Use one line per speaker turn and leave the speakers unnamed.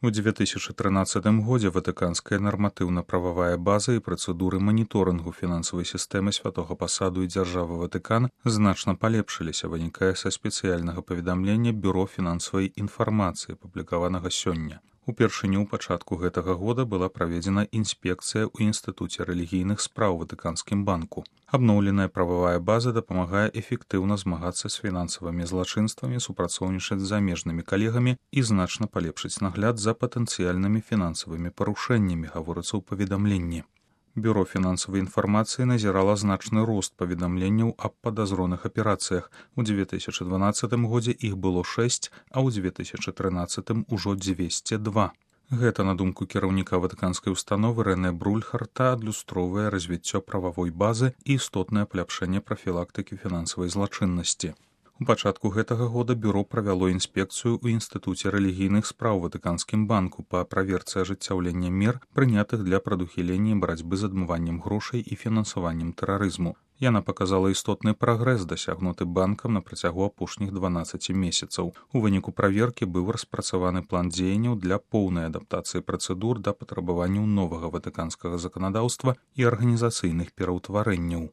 У 2013 годзе ватыканская нарматыўна-прававая база і працэдуры маніторынгу фінансавай сістэмы святога пасаду і дзяржавы Ватыкан значна палепшыліся, вынікае са спецыяльнага паведамлення Бюро фінансавай інфармацыі, апублікаванага сёння. Упершыню ў пачатку гэтага года была праведзена інспекцыя ў Інстытуце рэлігійных спраў Ватыканскім банку. Абноўленая прававая база дапамагае эфектыўна змагацца з фінансавымі злачынствамі, супрацоўнічаць з замежнымі калегамі і значна палепшыць нагляд за патэнцыяльнымі фінансавымі парушэннямі, гаворыцца ў паведамленні. Бюро фінансавай інфармацыі назірала значны рост паведамленняў аб падазроных аперацыях. У 2012 годзе іх было 6, а ў 2013 ужо 202. Гэта, на думку кіраўніка ватыканскай установы Рэнэ Брульхарта, адлюстроўвае развіццё прававой базы і істотнае паляпшэнне прафілактыкі фінансавай злачыннасці. У пачатку гэтага года бюро правяло інспекцыю ў Інстытуце рэлігійных спраў Ватыканскім банку па праверцы ажыццяўлення мер, прынятых для прадухілення барацьбы з адмываннем грошай і фінансаваннем тэрарызму. Яна паказала істотны прагрэс, дасягнуты банкам на працягу апошніх 12 месяцаў. У выніку праверкі быў распрацаваны план дзеянняў для поўнай адаптацыі працэдур да патрабаванняў новага ватыканскага заканадаўства і арганізацыйных пераўтварэнняў.